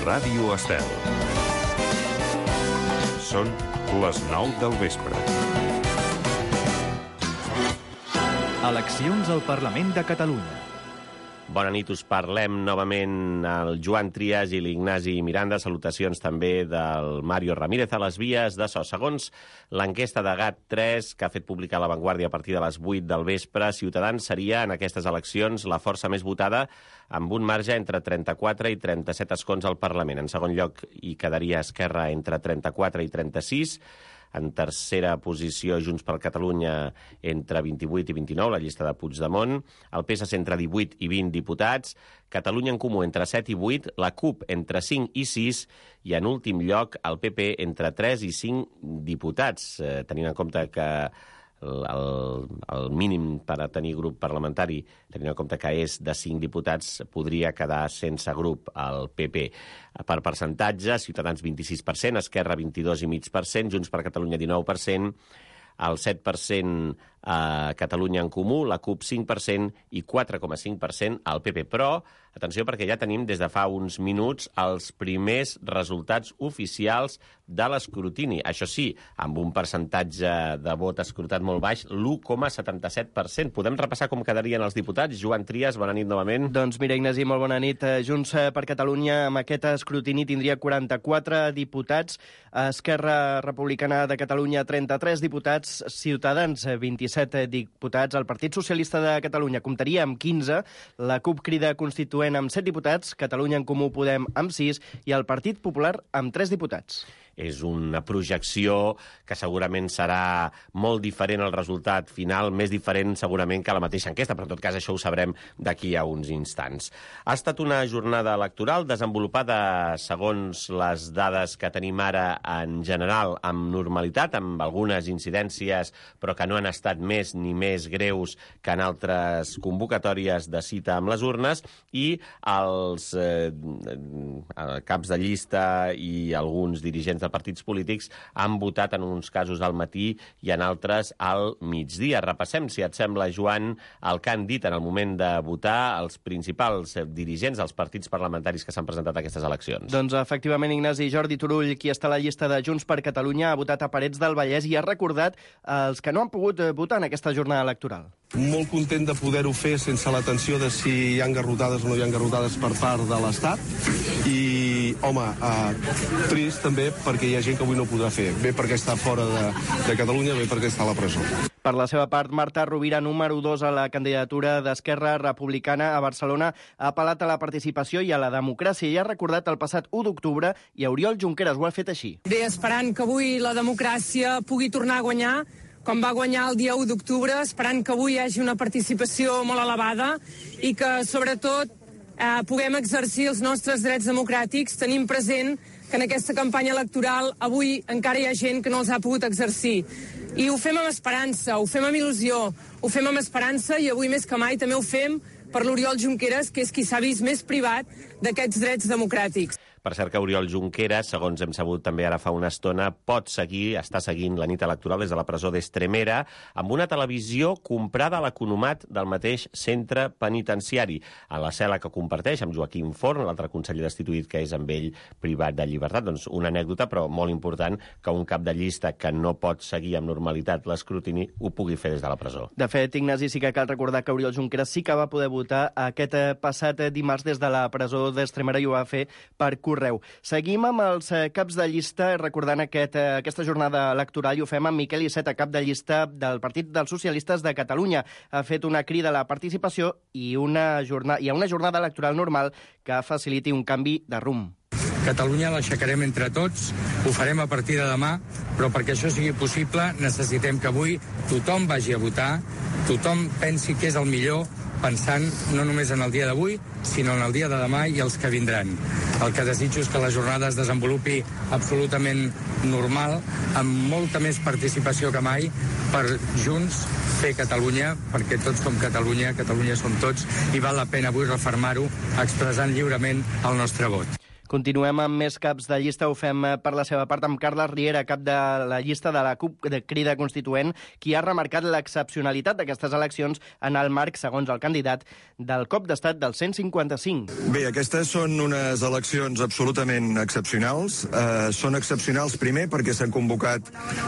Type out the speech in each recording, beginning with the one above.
Ràdio Estel. Són les 9 del vespre. Eleccions al Parlament de Catalunya. Bona nit, us parlem novament al Joan Trias i l'Ignasi Miranda. Salutacions també del Mario Ramírez a les vies de so. Segons l'enquesta de GAT3, que ha fet publicar La Vanguardia a partir de les 8 del vespre, Ciutadans seria en aquestes eleccions la força més votada amb un marge entre 34 i 37 escons al Parlament. En segon lloc hi quedaria Esquerra entre 34 i 36. En tercera posició, Junts per Catalunya entre 28 i 29, la llista de Puigdemont. El PSC entre 18 i 20 diputats. Catalunya en Comú entre 7 i 8. La CUP entre 5 i 6. I en últim lloc, el PP entre 3 i 5 diputats. Tenint en compte que el mínim per a tenir grup parlamentari, tenint en compte que és de 5 diputats, podria quedar sense grup el PP. Per percentatge, Ciutadans 26%, Esquerra 22,5%, Junts per Catalunya 19%, el 7% a Catalunya en Comú, la CUP 5% i 4,5% al PP. Però, atenció, perquè ja tenim des de fa uns minuts els primers resultats oficials de l'escrutini. Això sí, amb un percentatge de vot escrutat molt baix, l'1,77%. Podem repassar com quedarien els diputats? Joan Trias, bona nit novament. Doncs mira, Ignasi, molt bona nit. Junts per Catalunya amb aquest escrutini tindria 44 diputats, Esquerra Republicana de Catalunya 33 diputats, Ciutadans 27 diputats, el Partit Socialista de Catalunya comptaria amb 15, la CUP Crida Constituent amb 7 diputats, Catalunya en Comú Podem amb 6 i el Partit Popular amb 3 diputats. És una projecció que segurament serà molt diferent al resultat final, més diferent segurament que la mateixa enquesta, però en tot cas això ho sabrem d'aquí a uns instants. Ha estat una jornada electoral desenvolupada segons les dades que tenim ara en general amb normalitat, amb algunes incidències, però que no han estat més ni més greus que en altres convocatòries de cita amb les urnes, i els caps de llista i alguns dirigents de partits polítics han votat en uns casos al matí i en altres al migdia. Repassem, si et sembla, Joan, el que han dit en el moment de votar els principals dirigents dels partits parlamentaris que s'han presentat a aquestes eleccions. Doncs efectivament, Ignasi, Jordi Turull, qui està a la llista de Junts per Catalunya, ha votat a Parets del Vallès i ha recordat els que no han pogut votar en aquesta jornada electoral. Molt content de poder-ho fer sense la tensió de si hi ha engarrotades o no hi ha engarrotades per part de l'Estat i, home, trist també perquè hi ha gent que avui no podrà fer, bé perquè està fora de Catalunya, bé perquè està a la presó. Per la seva part, Marta Rovira, número 2 a la candidatura d'Esquerra Republicana a Barcelona, ha apel·lat a la participació i a la democràcia i ha recordat el passat 1 d'octubre i Oriol Junqueras ho ha fet així. Bé, esperant que avui la democràcia pugui tornar a guanyar, com va guanyar el dia 1 d'octubre, esperant que avui hi hagi una participació molt elevada i que, sobretot, puguem exercir els nostres drets democràtics, tenim present que en aquesta campanya electoral avui encara hi ha gent que no els ha pogut exercir. I ho fem amb esperança, ho fem amb il·lusió, ho fem amb esperança i avui més que mai també ho fem per l'Oriol Junqueras, que és qui s'ha vist més privat d'aquests drets democràtics. Per cert que Oriol Junqueras, segons hem sabut també ara fa una estona, està seguint la nit electoral des de la presó d'Estremera amb una televisió comprada a l'economat del mateix centre penitenciari, a la cel·la que comparteix amb Joaquim Forn, l'altre conseller destituït que és amb ell privat de llibertat. Doncs una anècdota, però molt important, que un cap de llista que no pot seguir amb normalitat l'escrutini ho pugui fer des de la presó. De fet, Ignasi, sí que cal recordar que Oriol Junqueras sí que va poder votar aquest passat dimarts des de la presó d'Estremera i ho va fer per correu. Seguim amb els caps de llista, recordant aquesta jornada electoral, i ho fem amb Miquel Iceta, cap de llista del Partit dels Socialistes de Catalunya. Ha fet una crida a la participació i a una jornada electoral normal que faciliti un canvi de rumb. Catalunya l'aixecarem entre tots, ho farem a partir de demà, però perquè això sigui possible necessitem que avui tothom vagi a votar, tothom pensi que és el millor, pensant no només en el dia d'avui, sinó en el dia de demà i els que vindran. El que desitjo és que la jornada es desenvolupi absolutament normal, amb molta més participació que mai, per junts fer Catalunya, perquè tots som Catalunya, Catalunya som tots, i val la pena avui refermar-ho expressant lliurement el nostre vot. Continuem amb més caps de llista. Ho fem per la seva part amb Carles Riera, cap de la llista de la CUP de Crida Constituent, qui ha remarcat l'excepcionalitat d'aquestes eleccions en el marc, segons el candidat, del cop d'estat del 155. Bé, aquestes són unes eleccions absolutament excepcionals. Són excepcionals, primer, perquè s'han convocat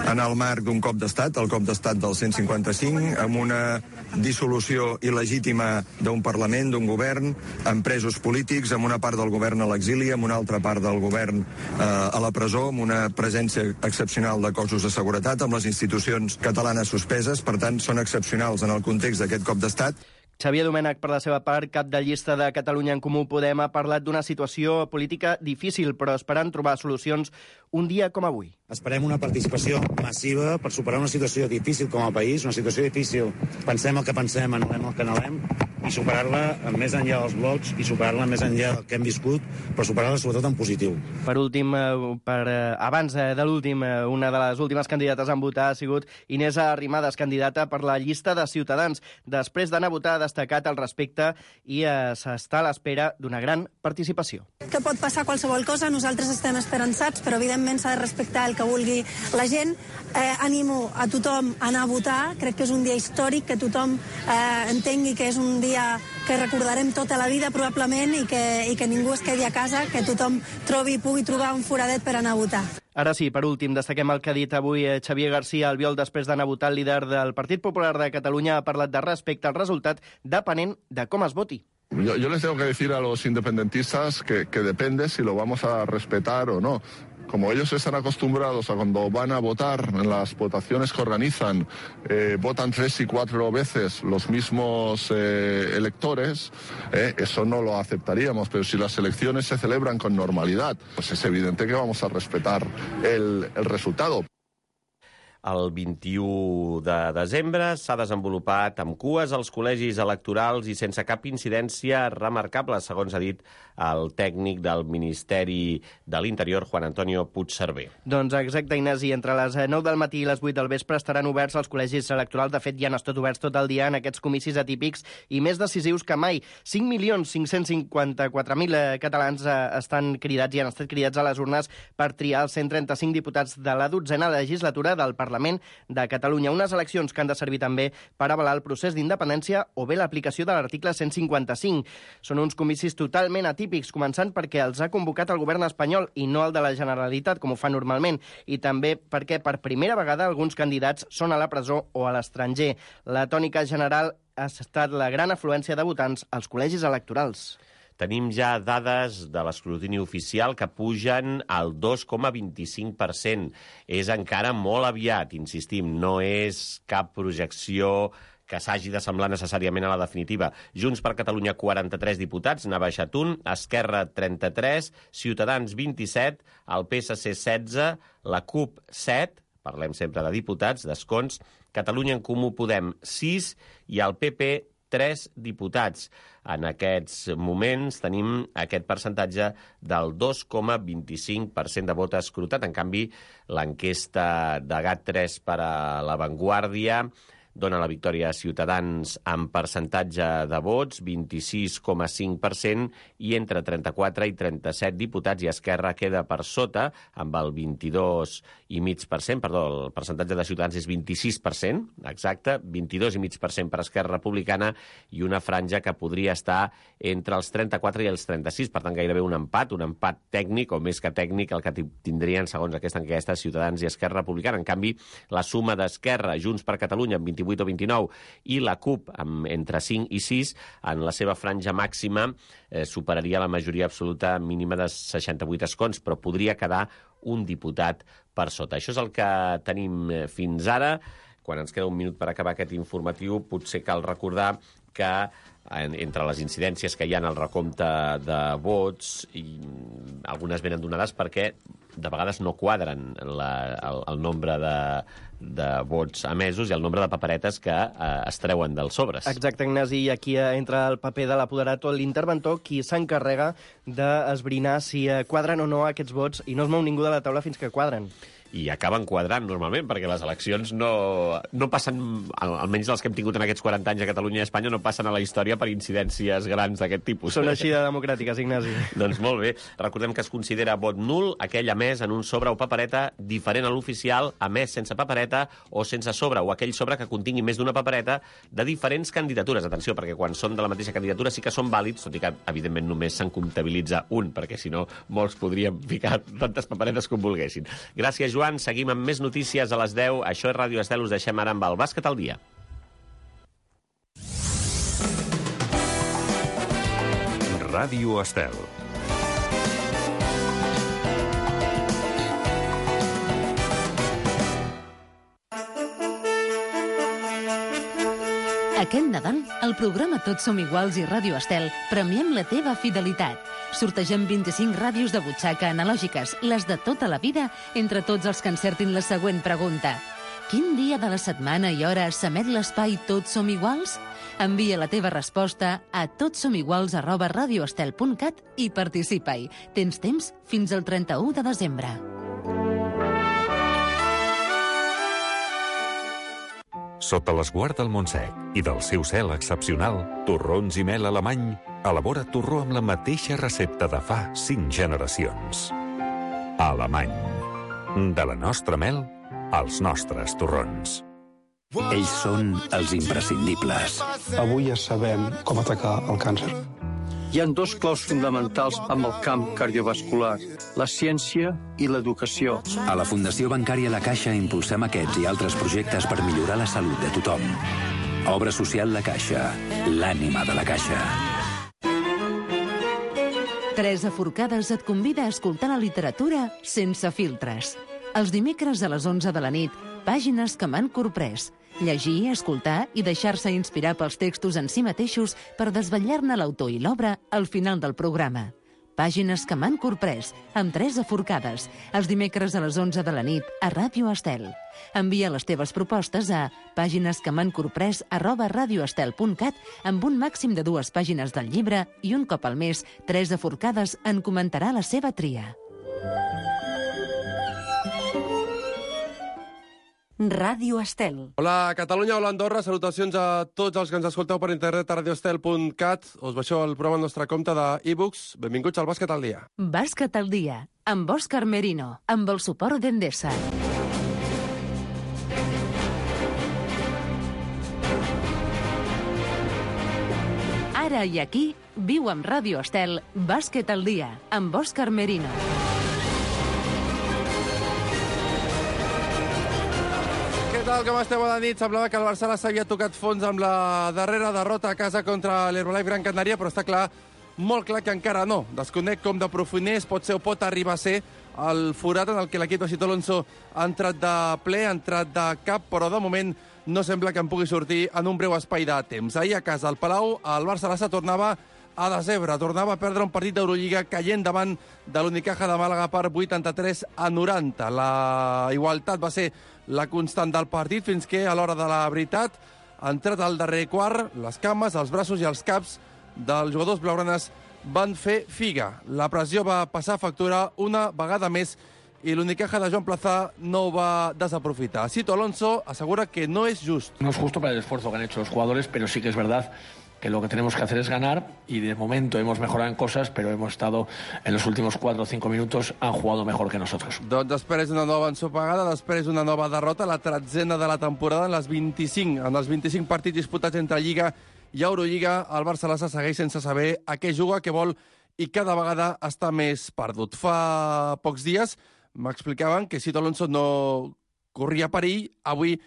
en el marc d'un cop d'estat, el cop d'estat del 155, amb una dissolució il·legítima d'un Parlament, d'un govern, amb presos polítics, amb una part del govern a l'exili, amb una altra part del govern a la presó, amb una presència excepcional de cossos de seguretat, amb les institucions catalanes suspeses. Per tant, són excepcionals en el context d'aquest cop d'estat. Xavier Domènech, per la seva part, cap de llista de Catalunya en Comú Podem, ha parlat d'una situació política difícil, però esperant trobar solucions un dia com avui. Esperem una participació massiva per superar una situació difícil com a país, una situació difícil, pensem el que pensem, anhelem el que anhelem, i superar-la més enllà dels blocs i superar-la més enllà del que hem viscut, però superar-la sobretot en positiu. Per últim, abans de l'últim, una de les últimes candidates en votar ha sigut Inés Arrimadas, candidata per la llista de Ciutadans. Després d'anar a votar ha destacat al respecte i s'està a l'espera d'una gran participació. Que pot passar qualsevol cosa, nosaltres estem esperançats, però evidentment s'ha de respectar el que vulgui la gent. Animo a tothom a anar a votar, crec que és un dia històric, que tothom entengui que és un dia que recordarem tota la vida probablement i que ningú es quedi a casa, que tothom pugui trobar un foradet per anar a votar. Ara sí, per últim, destaquem el que ha dit avui Xavier García Albiol després d'anar a votar. El líder del Partit Popular de Catalunya ha parlat de respecte al resultat depenent de com es voti. Yo les tengo que decir a los independentistas que depende si lo vamos a respetar o no. Como ellos están acostumbrados a cuando van a votar, en las votaciones que organizan, votan 3 y 4 veces los mismos electores, eso no lo aceptaríamos. Pero si las elecciones se celebran con normalidad, pues es evidente que vamos a respetar el resultado. El 21 de desembre s'ha desenvolupat amb cues als col·legis electorals i sense cap incidència remarcable, segons ha dit el tècnic del Ministeri de l'Interior, Juan Antonio Puigcerver. Doncs exacte, Ignasi, entre les 9 del matí i les 8 del vespre estaran oberts els col·legis electorals. De fet, ja han estat oberts tot el dia en aquests comicis atípics i més decisius que mai. 5.554.000 catalans estan cridats i han estat cridats a les urnes per triar els 135 diputats de la 12a legislatura del Parlament de Catalunya. Unes eleccions que han de servir també per avalar el procés d'independència o bé l'aplicació de l'article 155. Són uns comicis totalment atípics, començant perquè els ha convocat el govern espanyol i no el de la Generalitat, com ho fa normalment, i també perquè per primera vegada alguns candidats són a la presó o a l'estranger. La tònica general ha estat la gran afluència de votants als col·legis electorals. Tenim ja dades de l'escrutini oficial que pugen al 2,25%. És encara molt aviat, insistim, no és cap projecció que s'hagi de semblar necessàriament a la definitiva. Junts per Catalunya, 43 diputats, n'ha baixat un, Esquerra, 33, Ciutadans, 27, el PSC, 16, la CUP, 7, parlem sempre de diputats, d'escons, Catalunya en Comú Podem, 6, i el PP, 3 diputats. En aquests moments tenim aquest percentatge del 2,25% de vot escrutat. En canvi, l'enquesta de GAT3 per a La Vanguardia dona la victòria a Ciutadans amb percentatge de vots, 26,5%, i entre 34 i 37 diputats, i Esquerra queda per sota, amb el 22,5%, perdó, el percentatge de Ciutadans és 26%, exacte, 22,5% per Esquerra Republicana, i una franja que podria estar entre els 34 i els 36, per tant, gairebé un empat tècnic, o més que tècnic, el que tindrien, segons aquesta enquesta, Ciutadans i Esquerra Republicana. En canvi, la suma d'Esquerra, Junts per Catalunya, amb 28 o 29, i la CUP, amb entre 5 i 6, en la seva franja màxima, superaria la majoria absoluta mínima de 68 escons, però podria quedar un diputat per sota. Això és el que tenim fins ara. Quan ens queda un minut per acabar aquest informatiu, potser cal recordar que entre les incidències que hi ha en el recompte de vots, i algunes venen donades perquè de vegades no quadren el nombre de vots emesos i el nombre de paperetes que es treuen dels sobres. Exacte, Ignasi, i aquí entra el paper de l'apoderat o l'interventor, qui s'encarrega d'esbrinar si quadren o no aquests vots, i no es mou ningú de la taula fins que quadren. i acaben quadrant normalment, perquè les eleccions no passen, almenys les que hem tingut en aquests 40 anys a Catalunya i a Espanya, no passen a la història per incidències grans d'aquest tipus. Són així de democràtiques, Ignasi. Doncs molt bé. Recordem que es considera vot nul aquell emès en un sobre o papereta diferent a l'oficial, emès sense papereta o sense sobre, o aquell sobre que contingui més d'una papereta de diferents candidatures. Atenció, perquè quan són de la mateixa candidatura sí que són vàlids, tot i que, evidentment, només se'n comptabilitza un, perquè si no, molts podríem ficar tantes paperetes com volguessin. Gràcies, Joan. Seguim amb més notícies a les 10. Això és Ràdio Estel. Us deixem ara amb el Bàsquet al dia. Ràdio Estel. Aquest Nadal, al programa Tots som iguals i Ràdio Estel premiem la teva fidelitat. Sortegem 25 ràdios de butxaca analògiques, les de tota la vida, entre tots els que encertin la següent pregunta. Quin dia de la setmana i hora s'emet l'espai Tots som iguals? Envia la teva resposta a totsomiguals@radioestel.cat i participa-hi. Tens temps fins al 31 de desembre. Sota l'esguard del Montsec i del seu cel excepcional, Torrons i Mel Alemany elabora torró amb la mateixa recepta de fa 5 generacions. Alemany. De la nostra mel als nostres torrons. Ells són els imprescindibles. Avui ja sabem com atacar el càncer. Hi ha 2 claus fonamentals amb el camp cardiovascular, la ciència i l'educació. A la Fundació Bancària La Caixa impulsem aquests i altres projectes per millorar la salut de tothom. Obra social La Caixa, l'ànima de la Caixa. Teresa Forcades et convida a escoltar la literatura sense filtres. Els dimecres a les 11 de la nit, pàgines que m'han corprès. Llegir, escoltar i deixar-se inspirar pels textos en si mateixos per desvetllar-ne l'autor i l'obra al final del programa. Pàgines que m'han corprès, amb Teresa Forcades, els dimecres a les 11 de la nit a Ràdio Estel. Envia les teves propostes a paginesquemhancorprès@radioestel.cat amb un màxim de 2 pàgines del llibre i un cop al mes, Teresa Forcades en comentarà la seva tria. Ràdio Estel. Hola, Catalunya, hola, Andorra. Salutacions a tots els que ens escolteu per internet a radioestel.cat. Us baixeu el programa al nostre compte d'e-books. Benvinguts al Bàsquet al dia. Bàsquet al dia, amb Òscar Merino, amb el suport d'Endesa. Ara i aquí, viu amb Ràdio Estel, Bàsquet al dia, amb Òscar Merino. Què tal, com esteu? Bona nit. Semblava que el Barça s'havia tocat fons amb la darrera derrota a casa contra l'Herbalife Gran Canària, però està clar, molt clar que encara no. Desconec com de profuners pot ser o pot arribar a ser el forat en el que l'equip de Sito Alonso ha entrat de ple, ha entrat de cap, però de moment no sembla que en pugui sortir en un breu espai de temps. Ahir a casa, al Palau, el Barça tornava a desebre, tornava a perdre un partit d'Eurolliga caient davant de l'Unicaja de Màlaga per 83-90. La igualtat va ser la constant del partit fins que, a l'hora de la veritat, ha entrat al darrer quart, les cames, els braços i els caps dels jugadors blaugranes van fer figa. La pressió va passar factura una vegada més i l'Unicaja de Joan Plaza no ho va desaprofitar. Sito Alonso asegura que no es justo. No es justo para el esfuerzo que han hecho los jugadores, pero sí que es verdad que lo que tenemos que hacer es ganar y de momento hemos mejorado en cosas, pero hemos estado en los últimos 4 o 5 minutos, han jugado mejor que nosotros. Doncs després d'una nova ensopegada, després d'una nova derrota, la 13ª de la temporada en els 25 partits disputats entre Lliga i Eurolliga, el Barça segueix sense saber a què juga, què vol i cada vegada està més perdut. Fa pocs dies m'explicaven que Sito Alonso no corria perill, avui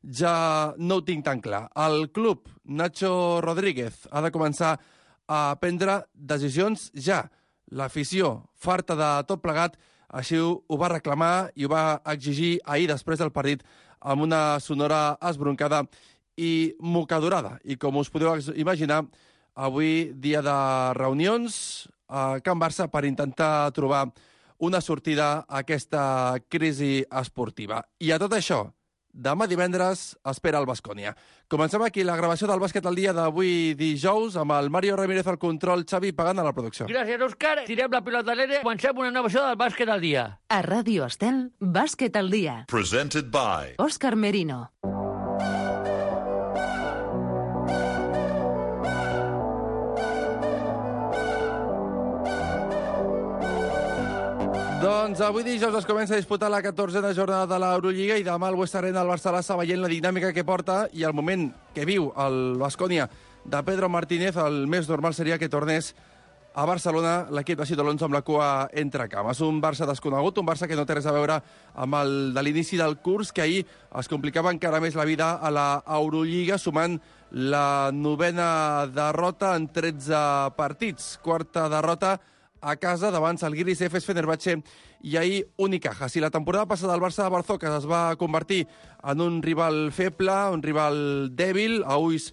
ja no ho tinc tan clar. El club, Nacho Rodríguez, ha de començar a prendre decisions ja. L'afició, farta de tot plegat, així ho va reclamar i ho va exigir ahir després del partit amb una sonora esbroncada i mocadorada. I com us podeu imaginar, avui dia de reunions a Can Barça per intentar trobar una sortida a aquesta crisi esportiva. I a tot això demà divendres espera el Baskonia. Comencem aquí la gravació del Bàsquet al dia d'avui dijous amb el Mario Ramírez al control, Xavi Pagant a la producció. Gràcies, Òscar. Tirem la pilota a l'aire. Comencem una nova edició del Bàsquet al dia. A Ràdio Estel, Bàsquet al dia. Presented by Òscar Merino. Doncs avui dijous es comença a disputar la 14a jornada de l'Eurolliga i demà al West Arena el Barça l'està veient la dinàmica que porta i el moment que viu el Baskonia de Pedro Martínez, el més normal seria que tornés a Barcelona l'equip de Sito Alonso amb la cua entre cames. Un Barça desconegut, un Barça que no té res a veure amb el de l'inici del curs, que ahir es complicava encara més la vida a l'Eurolliga, sumant la 9a derrota en 13 partits. Quarta derrota a casa davant Zalgiris, Efes, Fenerbahçe i ahir Unicaja. Si la temporada passada el Barça de Barzokas es va convertir en un rival feble, un rival dèbil, a ulls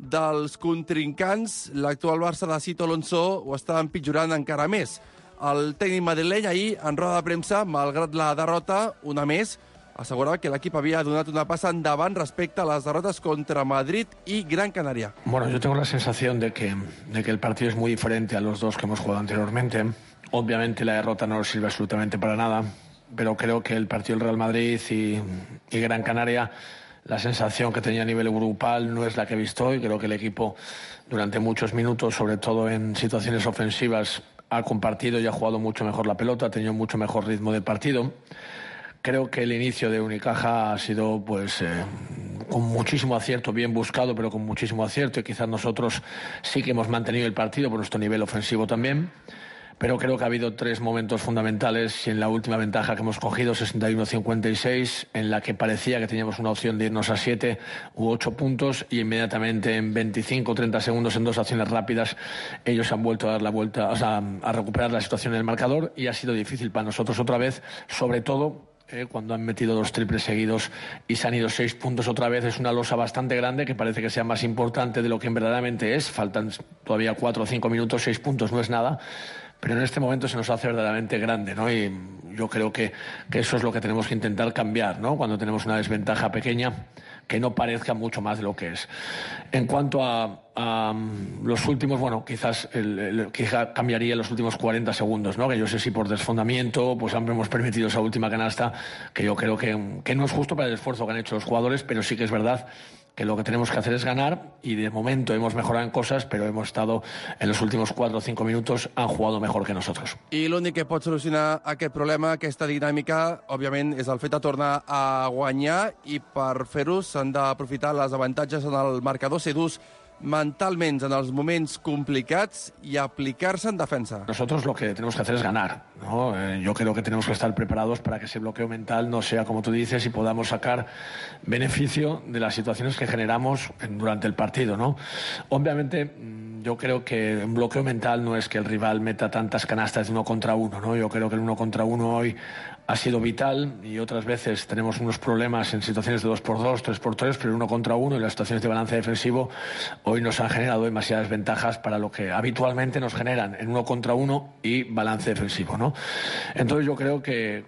dels contrincants, l'actual Barça de Sito Alonso ho està empitjorant encara més. El tècnic madrileny ahir, en roda de premsa, malgrat la derrota, una més, aseguraba que el equipo había donat una pasa endavant respecto a las derrotas contra Madrid y Gran Canaria. Bueno, yo tengo la sensación de que el partido es muy diferente a los dos que hemos jugado anteriormente. Obviamente la derrota no nos sirve absolutamente para nada, pero creo que el partido del Real Madrid y Gran Canaria, la sensación que tenía a nivel grupal no es la que he visto hoy. Creo que el equipo durante muchos minutos, sobre todo en situaciones ofensivas, ha compartido y ha jugado mucho mejor la pelota, ha tenido mucho mejor ritmo del partido. Creo que el inicio de Unicaja ha sido con muchísimo acierto, bien buscado, pero con muchísimo acierto. Y quizás nosotros sí que hemos mantenido el partido por nuestro nivel ofensivo también. Pero creo que ha habido tres momentos fundamentales y en la última ventaja que hemos cogido, 61-56, en la que parecía que teníamos una opción de irnos a 7 u 8 puntos y inmediatamente en 25 o 30 segundos en dos acciones rápidas ellos han vuelto a dar la vuelta, a recuperar la situación en el marcador y ha sido difícil para nosotros otra vez, sobre todo cuando han metido 2 triples seguidos y se han ido 6 puntos otra vez. Es una losa bastante grande que parece que sea más importante de lo que verdaderamente es. Faltan todavía 4 o 5 minutos, 6 puntos no es nada, pero en este momento se nos hace verdaderamente grande, ¿no? Y yo creo que eso es lo que tenemos que intentar cambiar, ¿no? Cuando tenemos una desventaja pequeña, que no parezca mucho más de lo que es. En cuanto a los últimos, bueno, quizás quizá cambiaría los últimos 40 segundos, ¿no? Que yo sé si por desfondamiento pues hemos permitido esa última canasta, que yo creo que no es justo para el esfuerzo que han hecho los jugadores, pero sí que es verdad que lo que tenemos que hacer es ganar y de momento hemos mejorado en cosas, pero hemos estado en los últimos 4 o 5 minutos, han jugado mejor que nosotros. I l'únic que pot solucionar aquest problema, aquesta dinàmica, òbviament, és el fet de tornar a guanyar i per fer-ho s'han d'aprofitar les avantatges en el marcador, ser durs mentalment en els moments complicats y aplicarse en defensa. Nosotros lo que tenemos que hacer es ganar, ¿no? Yo creo que tenemos que estar preparados para que ese bloqueo mental no sea como tú dices y podamos sacar beneficio de las situaciones que generamos durante el partido, ¿no? Obviamente yo creo que un bloqueo mental no es que el rival meta tantas canastas de 1 contra 1, ¿no? Yo creo que el 1 contra 1 hoy ha sido vital y otras veces tenemos unos problemas en situaciones de 2x2, 3x3, pero 1 contra 1 y las situaciones de balance defensivo hoy nos han generado demasiadas ventajas para lo que habitualmente nos generan en 1 contra 1 y balance defensivo, ¿no? Entonces yo creo que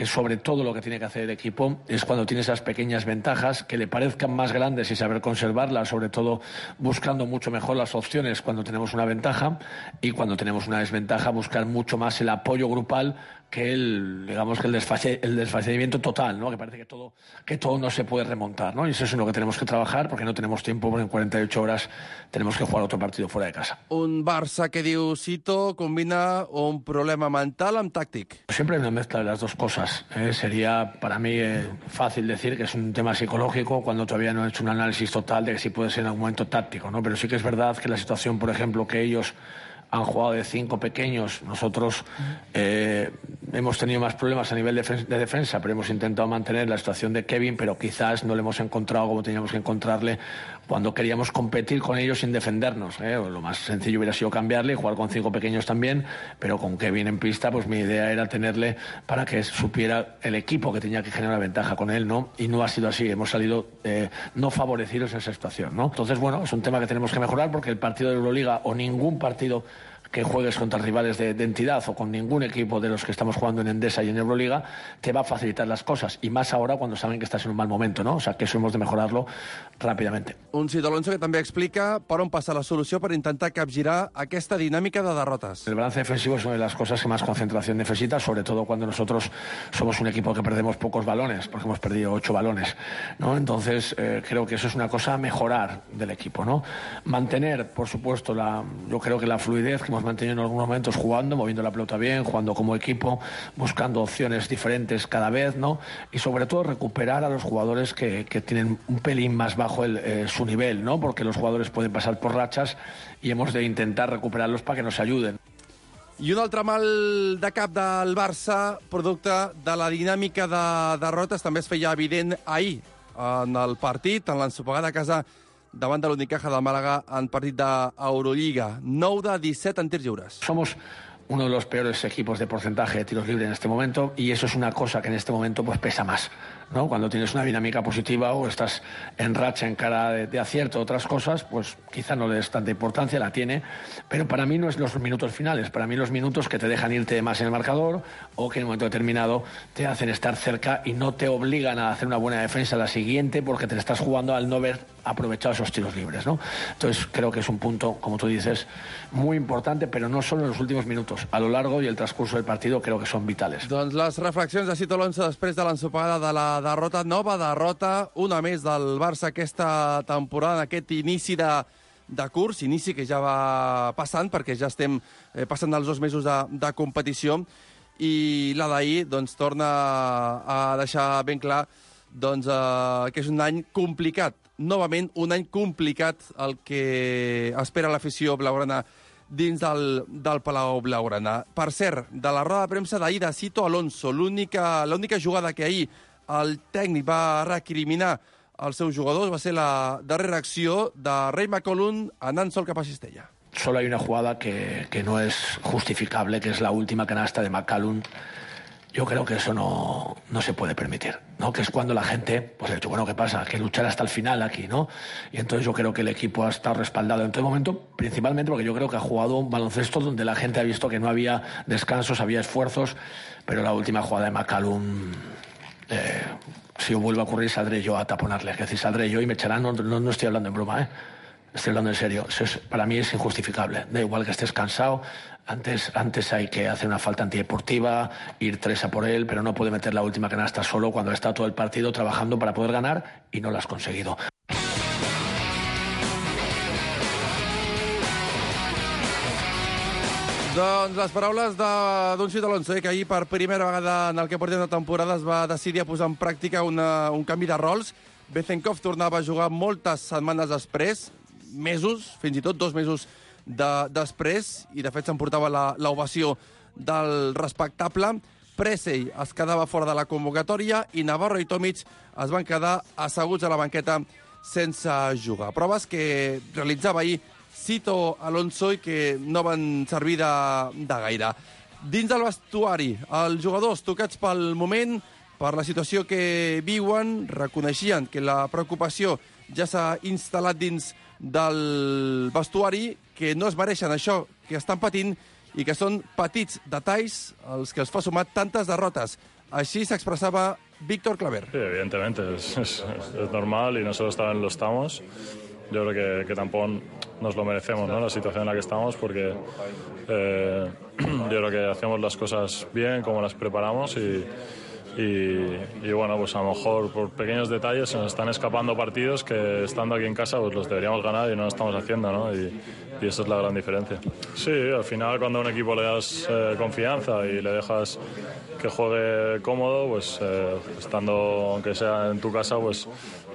sobre todo lo que tiene que hacer el equipo es cuando tiene esas pequeñas ventajas que le parezcan más grandes y saber conservarlas, sobre todo buscando mucho mejor las opciones cuando tenemos una ventaja y cuando tenemos una desventaja buscar mucho más el apoyo grupal que el desfacimiento total, ¿no? Que parece que todo no se puede remontar, ¿no? Y eso es en lo que tenemos que trabajar porque no tenemos tiempo, porque en 48 horas tenemos que jugar otro partido fuera de casa. Un Barça que diu Sito combina un problema mental amb tàctic. Siempre hay una mezcla de las dos cosas. Sería para mí fácil decir que es un tema psicológico cuando todavía no he hecho un análisis total de que sí puede ser en algún momento táctico, ¿no? Pero sí que es verdad que la situación, por ejemplo, que ellos han jugado de 5 pequeños. Nosotros hemos tenido más problemas a nivel de defensa, pero hemos intentado mantener la situación de Kevin, pero quizás no le hemos encontrado como teníamos que encontrarle cuando queríamos competir con ellos sin defendernos. Lo más sencillo hubiera sido cambiarle y jugar con 5 pequeños también, pero con Kevin en pista, pues mi idea era tenerle para que supiera el equipo que tenía que generar una ventaja con él, ¿no? Y no ha sido así, hemos salido no favorecidos en esa situación, ¿no? Entonces, bueno, es un tema que tenemos que mejorar porque el partido de Euroliga o ningún partido que juegues contra rivales de entidad o con ningún equipo de los que estamos jugando en Endesa y en Euroliga, te va a facilitar las cosas, y más ahora cuando saben que estás en un mal momento, ¿no? O sea, que eso hemos de mejorarlo rápidamente. Un Cito Alonso que també explica per on passa la solució per intentar capgirar aquesta dinàmica de derrotes. El balance defensivo es una de las cosas que más concentración necesita, sobre todo cuando nosotros somos un equipo que perdemos pocos balones, porque hemos perdido 8 balones, ¿no? Entonces, creo que eso es una cosa a mejorar del equipo, ¿no? Mantener, por supuesto, yo creo que la fluidez que hemos mantenido en algunos momentos jugando, moviendo la pelota bien, jugando como equipo, buscando opciones diferentes cada vez, ¿no? Y sobre todo recuperar a los jugadores que tienen un pelín más bajo su nivel, ¿no? Porque los jugadores pueden pasar por rachas y hemos de intentar recuperarlos para que nos ayuden. I un altre mal de cap del Barça, producte de la dinàmica de derrotes, també es feia evident ahir en el partit, en l'ensopegada a casa davant de l'Unicaja de Màlaga en partit d'Eurolliga. 9 de 17 en tirs lliures. Somos uno de los peores equipos de porcentaje de tiros libres en este momento, y eso es una cosa que en este momento pues pesa más, ¿no? Cuando tienes una dinámica positiva o estás en racha en cara de acierto, otras cosas, pues quizá no le des tanta importancia, la tiene, pero para mí no es los minutos finales, para mí los minutos que te dejan irte más en el marcador o que en un momento determinado te hacen estar cerca y no te obligan a hacer una buena defensa la siguiente porque te estás jugando al no haber aprovechado esos tiros libres, ¿no? Entonces creo que es un punto, como tú dices, muy importante, pero no solo en los últimos minutos, a lo largo y el transcurso del partido creo que son vitales. Doncs les reflexions de Cito Alonso després de l'ensopegada de la derrota, nova derrota, una més del Barça aquesta temporada, en aquest inici de curs, inici que ja va passant, perquè ja estem passant els 2 mesos de competició, i la d'ahir doncs, torna a deixar ben clar doncs, que és un any complicat. Novament, un any complicat el que espera l'afició blaugrana dins del Palau Blaugrana. Per cert, de la roda de premsa d'ahir de Cito Alonso, l'única jugada que ahir el tècnic va recriminar als seus jugadors va ser la darrera acció de Ray McCollum anant sol cap a Cistella. Solo hay una jugada que no es justificable, que es la última canasta de McCallum. Yo creo que eso no se puede permitir, ¿no? Que es cuando la gente pues ha dicho, bueno, ¿qué pasa? Que luchar hasta el final aquí, ¿no? Y entonces yo creo que el equipo ha estado respaldado en todo momento, principalmente porque yo creo que ha jugado un baloncesto donde la gente ha visto que no había descansos, había esfuerzos, pero la última jugada de McCallum, si vuelve a ocurrir, saldré yo a taponarle. Es decir, saldré yo y me echarán, no estoy hablando en broma, estoy hablando en serio. Para mí es injustificable. Da igual que estés cansado. Antes hay que hacer una falta antideportiva, ir 3 a por él, pero no puede meter la última canasta solo cuando ha estado todo el partido trabajando para poder ganar y no lo has conseguido. Doncs les paraules d'un Cito Alonso, que ahir per primera vegada en el que portem de temporada es va decidir a posar en pràctica un canvi de rols. Bezenkov tornava a jugar moltes setmanes després, mesos, fins i tot 2 mesos després, i de fet s'emportava l'ovació del respectable. Presey es quedava fora de la convocatòria i Navarro i Tomic es van quedar asseguts a la banqueta sense jugar. Proves que realitzava ahir Cito Alonso i que no van servir de gaire. Dins del vestuari, els jugadors tocats pel moment, per la situació que viuen, reconeixien que la preocupació ja s'ha instal·lat dins del vestuari, que no es mereixen això que estan patint i que són petits detalls els que els fa sumar tantes derrotes. Així s'expressava Víctor Claver. Sí, evidentemente, es normal y nosotros también lo estamos. Yo creo que tampoco nos lo merecemos, ¿no? La situación en la que estamos, porque yo creo que hacemos las cosas bien, como las preparamos y bueno, pues a lo mejor por pequeños detalles se nos están escapando partidos que estando aquí en casa pues los deberíamos ganar y no lo estamos haciendo, ¿no? Y esa es la gran diferencia. Sí, al final cuando a un equipo le das confianza y le dejas que juegue cómodo, pues estando, aunque sea en tu casa, pues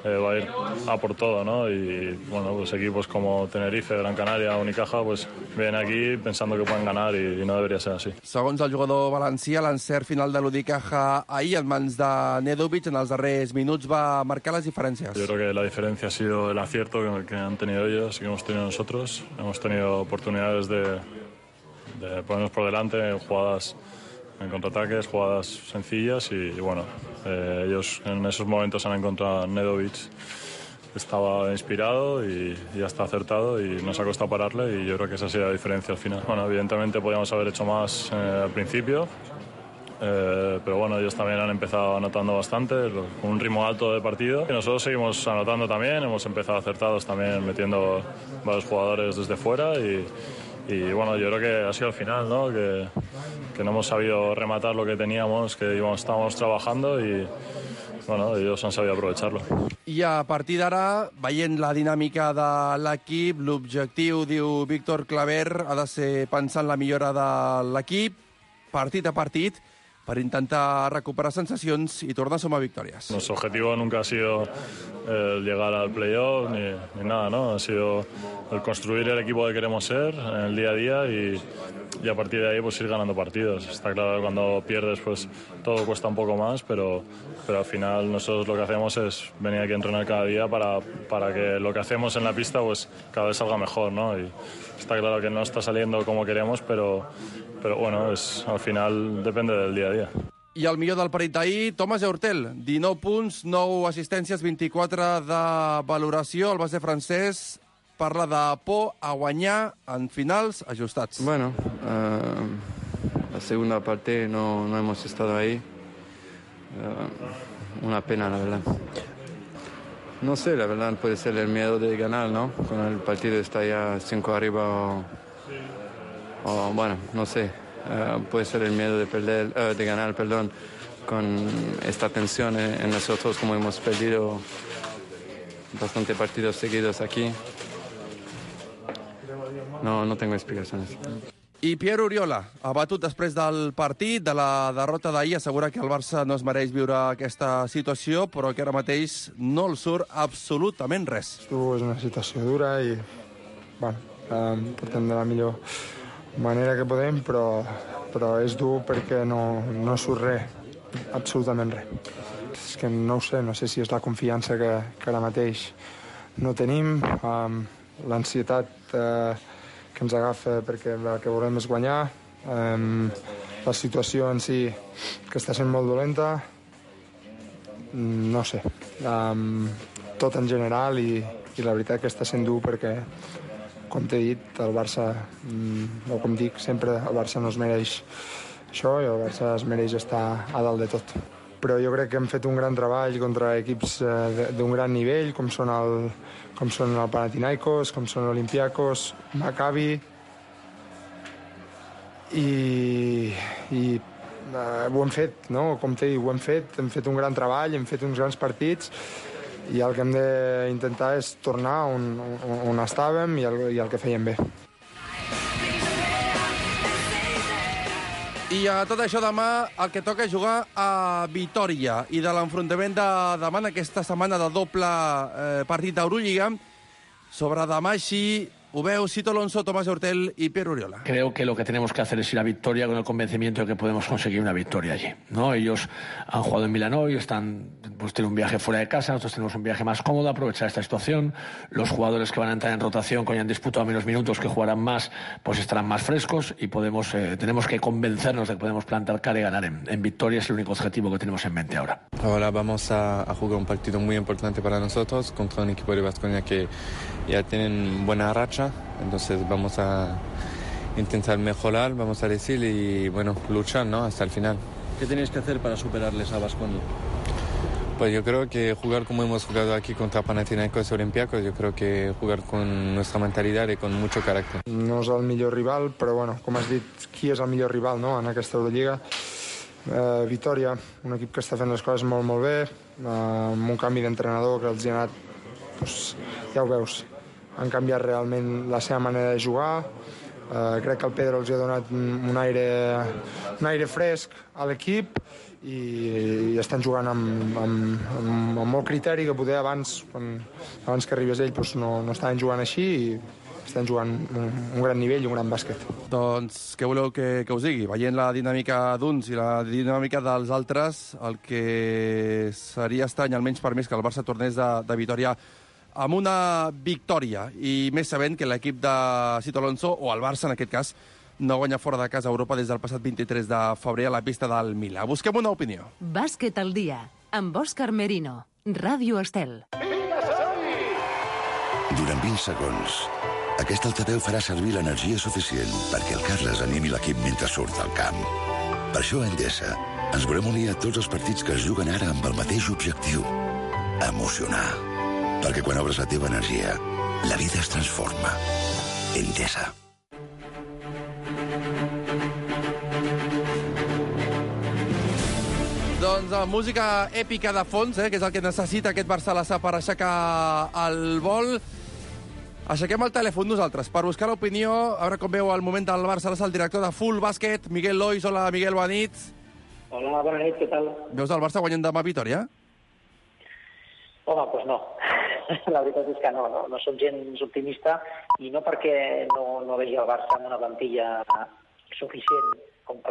va a ir a por todo, ¿no? Y bueno, pues equipos como Tenerife, Gran Canaria, Unicaja, pues vienen aquí pensando que pueden ganar y no debería ser así. Segons el jugador valencià, l'encert final de l'Unicaja ahir en mans de Nedovic en els darrers minuts va marcar les diferències. Yo creo que la diferencia ha sido el acierto que han tenido ellos y que hemos tenido nosotros. Hemos tenido oportunidades de ponernos por delante en jugadas, en contraataques, jugadas sencillas y bueno, ellos en esos momentos han encontrado a Nedovic estaba inspirado y ya está acertado y nos ha costado pararle y yo creo que esa ha sido la diferencia al final. Bueno, evidentemente podíamos haber hecho más al principio, pero bueno, ellos también han empezado anotando bastante, con un ritmo alto de partido. Y nosotros seguimos anotando también, hemos empezado acertados también metiendo varios jugadores desde fuera y bueno, yo creo que ha sido al final, ¿no? Que no hemos sabido rematar lo que teníamos, que estábamos trabajando y bueno, ellos han sabido aprovecharlo. I a partir d'ara, veient la dinàmica de l'equip, l'objectiu, diu Víctor Claver, ha de ser pensar en la millora de l'equip, partit a partit, per intentar recuperar sensacions i tornar a sumar victòries. Nuestro objetivo nunca ha sido llegar al playoff ni nada, ¿no? Ha sido el construir el equipo que queremos ser en el día a día y a partir de ahí pues ir ganando partidos. Está claro que cuando pierdes pues todo cuesta un poco más, pero al final nosotros lo que hacemos es venir aquí a entrenar cada día para que lo que hacemos en la pista pues cada vez salga mejor, ¿no? Y está claro que no está saliendo como queremos, pero bueno, al final depende del día a día. I el millor del partit d'ahir, Tomàs Eurtel, 19 punts, 9 assistències, 24 de valoració. El base francès parla de por a guanyar en finals ajustats. Bueno, la segunda parte no hemos estado ahí. Una pena, la verdad. No sé, la verdad puede ser el miedo de ganar, ¿no? Cuando el partido está ya 5 arriba o bueno, no sé. Puede ser el miedo de ganar, con esta tensión en nosotros, como hemos perdido bastante partidos seguidos aquí. No tengo explicaciones. I Pierre Oriola, abatut després del partit, de la derrota d'ahir, assegura que el Barça no es mereix viure aquesta situació, però que ara mateix no el surt absolutament res. És una situació dura i bueno, portem de la millor manera que podem, però és dur perquè no surt res, absolutament res. És que no ho sé, no sé si és la confiança que ara mateix no tenim, l'ansietat que ens agafa perquè el que volem és guanyar, la situació en si que està sent molt dolenta, no sé, tot en general i la veritat que està sent dur perquè com t'he dit, el Barça, o com dic sempre, el Barça no es mereix això i el Barça es mereix estar a dalt de tot. Però jo crec que hem fet un gran treball contra equips d'un gran nivell, com són el Panathinaikos, com són l'Olympiakos, Maccabi, i ho hem fet, no? Com t'he dit, ho hem fet un gran treball, hem fet uns grans partits, i el que hem d'intentar és tornar on estàvem i el que fèiem bé. I a tot això demà el que toca és jugar a Vitòria i de l'enfrontament de demà en aquesta setmana de doble partit d'Eurolliga. Sobre demà així ho veu Sito Alonso, Tomàs Eurtel y Pierre Oriola. Creo que lo que tenemos que hacer es ir a Victoria con el convencimiento de que podemos conseguir una victoria allí, ¿no? Ellos han jugado en Milano y tienen un viaje fuera de casa, nosotros tenemos un viaje más cómodo, aprovechar esta situación. Los jugadores que van a entrar en rotación, que hayan disputado menos minutos, que jugarán más, pues estarán más frescos y tenemos que convencernos de que podemos plantar cara y ganar en Victoria. Es el único objetivo que tenemos en mente ahora. Ahora vamos a jugar un partido muy importante para nosotros contra un equipo de Baskonia que ya tienen buena racha, entonces vamos a intentar mejorar, vamos a decir, y bueno, luchar, ¿no? Hasta el final. ¿Qué tenéis que hacer para superarles a Baskonia? Pues yo creo que jugar como hemos jugado aquí contra Panathinaikos y Olympiacos, yo creo que jugar con nuestra mentalidad y con mucho carácter. No és el millor rival, però bueno, com has dit, qui és el millor rival, no?, en aquesta Eurolliga? Vitòria, un equip que està fent les coses molt, molt bé, amb un canvi d'entrenador que els hi ha anat, doncs, ja ho veus, han canviat realment la seva manera de jugar. Crec que el Pedro els ha donat un aire fresc a l'equip i estan jugant amb molt criteri, que poder abans que arribés ell doncs no estaven jugant així, i estan jugant un gran nivell i un gran bàsquet. Doncs què voleu que us digui? Veient la dinàmica d'uns i la dinàmica dels altres, el que seria estrany, almenys per més, que el Barça tornés de Vitòria amb una victòria, i més sabent que l'equip de Sito Alonso, o el Barça en aquest cas, no guanya fora de casa a Europa des del passat 23 de febrer a la pista del Milà. Busquem una opinió. Bàsquet al dia, amb Òscar Merino, Ràdio Estel. Vinga, som-hi! Durant 20 segons, aquest altaveu farà servir l'energia suficient perquè el Carles animi l'equip mentre surt al camp. Per això a Endesa ens volem unir a tots els partits que es juguen ara amb el mateix objectiu: emocionar. Perquè quan obres la teva energia, la vida es transforma. Endesa. Doncs música èpica de fons, que és el que necessita aquest Barça-Lassà per aixecar el vol. Aixequem el telèfon nosaltres per buscar l'opinió, a veure com veu el moment del Barça-Lassà el director de Full Bàsquet, Miguel Lois. Hola, Miguel, bona nit. Hola, bona nit, què tal? Veus el Barça guanyant demà a Vitòria? Home, doncs no. La veritat és que no som gens optimista, i no perquè no vegi el Barça amb una plantilla suficient